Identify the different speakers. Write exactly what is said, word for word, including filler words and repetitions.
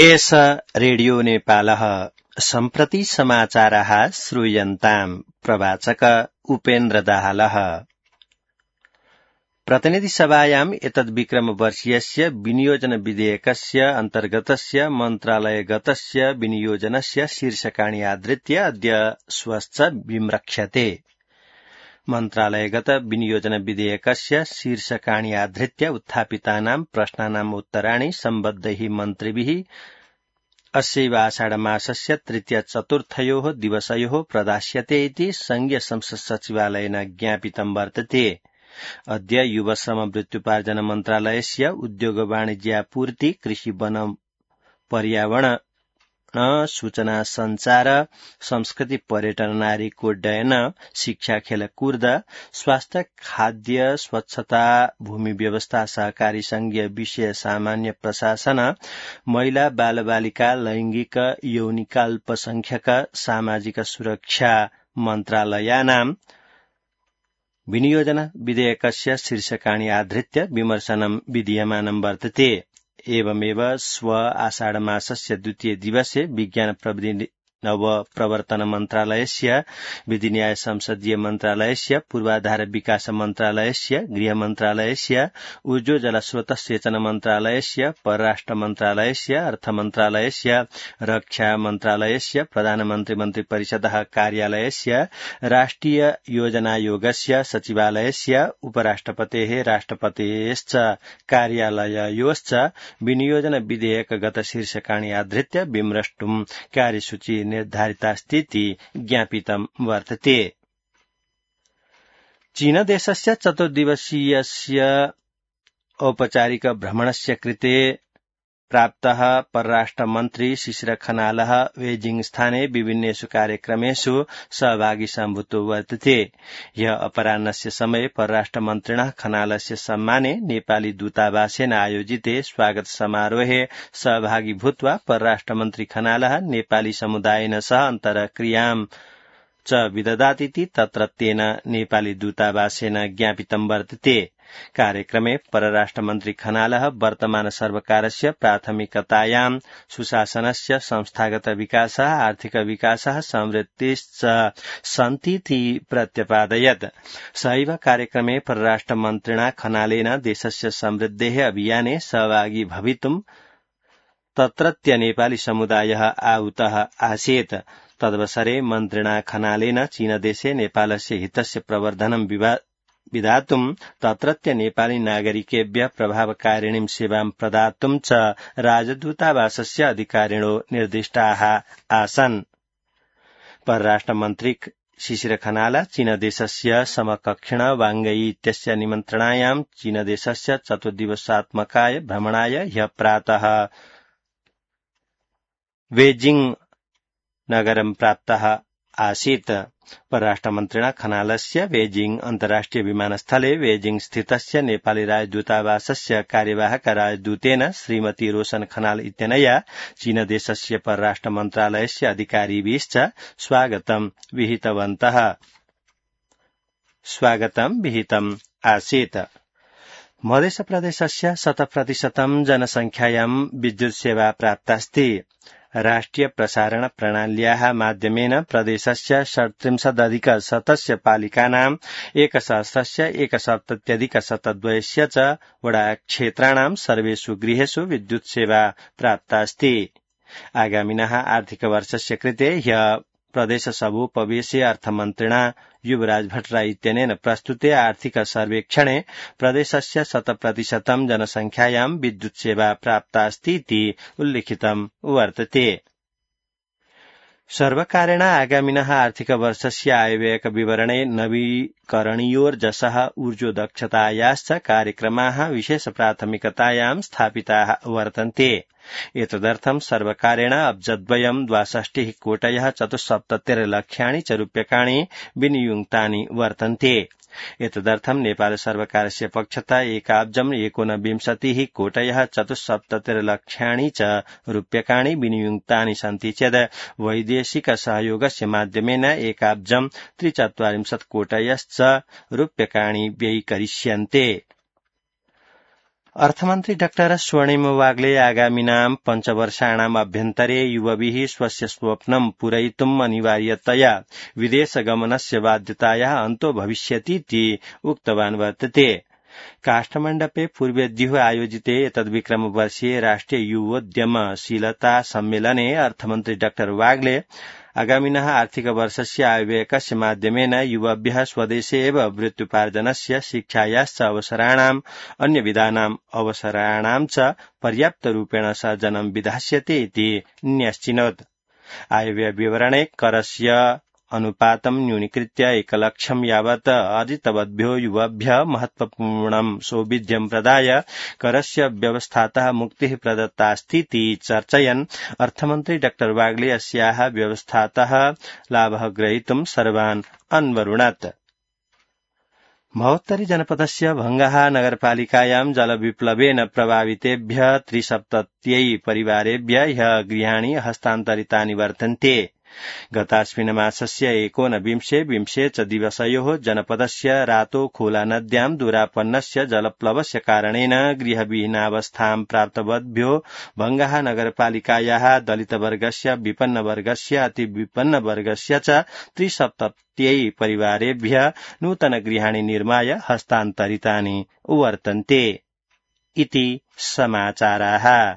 Speaker 1: एष रेडियो नेपालः सम्प्रति समाचाराः श्रूयन्ताम्। प्रवाचक उपेन्द्र दाहालः। प्रतिनिधिसभायाम् एतद्विक्रमवर्षीयस्य विनियोजन विधेयकस्य अन्तर्गतस्य मन्त्रालयगतस्य विनियोजनस्य शीर्षकाणि आधृत्य अद्य श्वश्च विम्रक्ष्यते। मन्त्रालयगत विनियोजन विधेयकस्य शीर्षकाणि आधृत्य उत्थापितानां प्रश्नानाम् उत्तराणि सम्बद्धैः मन्त्रिभिः अस्यैव आषाढमासस्य तृतीय चतुर्थयोः दिवसयोः प्रदास्यते इति संघीय संसद सचिवालयेन ज्ञापितं वर्तते। अद्य युवश्रम वृत्त्युपार्जन मन्त्रालयस्य उद्योग वाणिज्यापूर्ति कृषि वन पर्यावरण सूचना संचार संस्कृति पर्यटन नारीकोड्डयन शिक्षा खेलकूद स्वास्थ्य खाद्य स्वच्छता भूमि व्यवस्था सहकारी संघीय विषय सामान्य प्रशासन महिला बालबालिका लैंगिक यौनिका अल्पसंख्यक सामाजिक सुरक्षा मन्त्रालयानां विनियोजन विधेयकस्य शीर्षकाणि आधृत्य विमर्शनं विधीयमानं वर्तते। एवमेव स्व आषाढमासस्य द्वितीय दिवसे विज्ञान प्रविधि नव प्रवर्तन मन्त्रालयस्य विधिन्याय संसदीय मन्त्रालयस्य पूर्वाधार विकास मन्त्रालयस्य गृह मन्त्रालयस्य ऊर्जो जलस्रोत सेचन मन्त्रालयस्य परराष्ट्र मन्त्रालयस्य अर्थ मन्त्रालयस्य रक्षा मन्त्रालयस्य प्रधानमन्त्री मन्त्री परिषदः कार्यालयस्य राष्ट्रिय योजनायोगस्य सचिवालयस्य उपराष्ट्रपतेः राष्ट्रपतेश्च कार्यालययोश्च विनियोजन विधेयकगत शीर्षकाणि आधृत्य विमृष्टुं कार्यसूची निर्धारितास्तीति ज्ञापितं वर्तते। चीनदेशस्य चतुर्दिवसीयस्य औपचारिक भ्रमणस्य कृते प्राप्तः परराष्ट्रमन्त्री शिशिर खनालः बेजिंग स्थाने विभिन्नेषु कार्यक्रमेषु सहभागी सम्भूतो वर्तते। ह्यः अपराह्नस्य समये परराष्ट्रमन्त्रिणः खनालस्य सम्माने नेपाली दूतावासेन आयोजिते स्वागत समारोहे सहभागी भूत्वा परराष्ट्रमन्त्री खनालः नेपाली समुदायेन सह अन्तर्क्रियां च विदधातीति तत्रत्येन नेपाली दूतावासेन ज्ञापितं वर्तते। कार्यक्रमे परराष्ट्रमन्त्री खनालः वर्तमान सर्वकारस्य प्राथमिकतायां सुशासनस्य संस्थागत विकासः आर्थिक विकासः समृद्धिश्च सन्तीति प्रत्यपादयत्। सहैव कार्यक्रमे परराष्ट्रमन्त्रिणा खनालेन देशस्य समृद्धेः अभियाने सहभागी भवितुं तत्रत्य नेपाली समुदायः आहूतः आसीत्। तदवसरे मन्त्रिणा खनालेन चीनदेशे नेपालस्य हितस्य प्रवर्धनं विधातुं तत्रत्य नेपाली नागरिकेभ्यः प्रभावकारिणीं सेवां प्रदातुं च राजदूतावासस्य अधिकारिणो निर्दिष्टाः आसन्। परराष्ट्रमन्त्री शिशिर खनाल चीनदेशस्य समकक्षिण वांगई इत्यस्य निमन्त्रणायां चीनदेशस्य चतुर्दिवसात्मकाय भ्रमणाय ह्यः प्रातः बेजिंग नगरं प्राप्तः आसीत्। परराष्ट्रमन्त्रिणा खनालस्य बेजिंग अन्तर्राष्ट्रिय विमानस्थले बेजिंग स्थितस्य नेपाली राजदूतावासस्य कार्यवाहक राजदूतेन श्रीमती रोशन खनाल इत्यनया चीनदेशस्य परराष्ट्र मन्त्रालयस्य अधिकारिभिश्च स्वागतं विहितवन्तः स्वागतं विहितम् आसीत्। मध्यप्रदेशस्य शतप्रतिशतं जनसंख्यायां विद्युत् सेवा प्राप्तास्ति। राष्ट्रिय प्रसारण प्रणाल्याः माध्यमेन प्रदेशस्य षट्त्रिंशदधिक शतस्य पालिकानाम् एकसहस्रस्य एकसप्तत्यधिक शतद्वयस्य च वडाक्षेत्राणां सर्वेषु गृहेषु विद्युत् सेवा प्राप्तास्ति। आगामिनः आर्थिकवर्षस्य कृते ह्यः प्रदेशसभोपवेशे अर्थमन्त्रिणा युवराज भट्टराय इत्यनेन प्रस्तुते आर्थिक सर्वेक्षणे प्रदेशस्य शतप्रतिशतं जनसंख्यायां विद्युत् सेवा प्राप्तास्ति इति उल्लिखितं वर्तते। सर्वकारेण आगामिनः आर्थिकवर्षस्य आयव्ययक विवरणे नवीकरणीयोर्जसः ऊर्जोदक्षतायाश्च कार्यक्रमाः विशेष प्राथमिकतायां स्थापिताः वर्तन्ते। एतदर्थं सर्वकारेण अब्जद्वयं द्वाषष्टिः कोटयः चतुस्सप्ततिर्लक्षाणि च रूप्यकाणि विनियुक्तानि वर्तन्ते। एतदर्थं नेपाल सर्वकारस्य पक्षतः एकाब्जम् एकोनविंशतिः कोटयः चतुस्सप्ततिर्लक्षाणि च रूप्यकाणि विनियुक्तानि सन्ति चेत् वैदेशिक सहयोगस्य माध्यमेन एकाब्जम् त्रिचत्वारिंशत् कोटयश्च रूप्यकाणि व्ययीकरिष्यन्ते। अर्थमन्त्री डाक्टर स्वर्णिम वाग्ले आगामिनां पञ्चवर्षाणाम् अभ्यन्तरे युवभिः स्वस्य स्वप्नं पूरयितुम् अनिवार्यतया विदेशगमनस्य बाध्यतायाः अन्तो भविष्यतीति उक्तवान् वर्तते। काष्ठमण्डपे पूर्वेद्युः आयोजिते एतद्विक्रमवर्षीये राष्ट्रिय युवोद्यमशीलता सम्मेलने अर्थमन्त्री डाक्टर वाग्ले आगामिनः आर्थिकवर्षस्य आयव्ययकस्य माध्यमेन युवभ्यः स्वदेशे एव वृत्त्युपार्जनस्य शिक्षायाश्च अवसराणाम् अन्यविधानाम् अवसराणाम् च पर्याप्तरूपेण सर्जनं विधास्यते इति न्यश्चिनोत्। आयव्ययविवरणे करस्य अनुपातं न्यूनीकृत्य एकलक्षं यावत् अर्जितवद्भ्यो युवभ्यः महत्वपूर्णं सौविध्यं प्रदाय करस्य व्यवस्थातः मुक्तिः प्रदत्तास्तीति चर्चयन् अर्थमन्त्री डाक्टर वाग्ले अस्याः व्यवस्थातः लाभः ग्रहीतुं सर्वान् अन्वरुणत्। महोत्तरी जनपदस्य भंगाहा नगरपालिकायां जलविप्लवेन प्रभावितेभ्यः त्रिसप्तत्यै परिवारेभ्यः ह्यः गृहाणि हस्तान्तरितानि वर्तन्ते। गतास्मिन् मासस्य एकोनविंशे विंशे च दिवसयोः जनपदस्य रातो खोला नद्यां दुरापन्नस्य जलप्लवस्य कारणेन गृहविहीनावस्थां प्राप्तवद्भ्यो भंगाहा नगरपालिकायाः दलितवर्गस्य विपन्नवर्गस्य अतिविपन्नवर्गस्य च त्रिसप्तत्यै परिवारेभ्यः नूतनगृहाणि निर्माय हस्तान्तरितानि वर्तन्ते इति समाचाराः।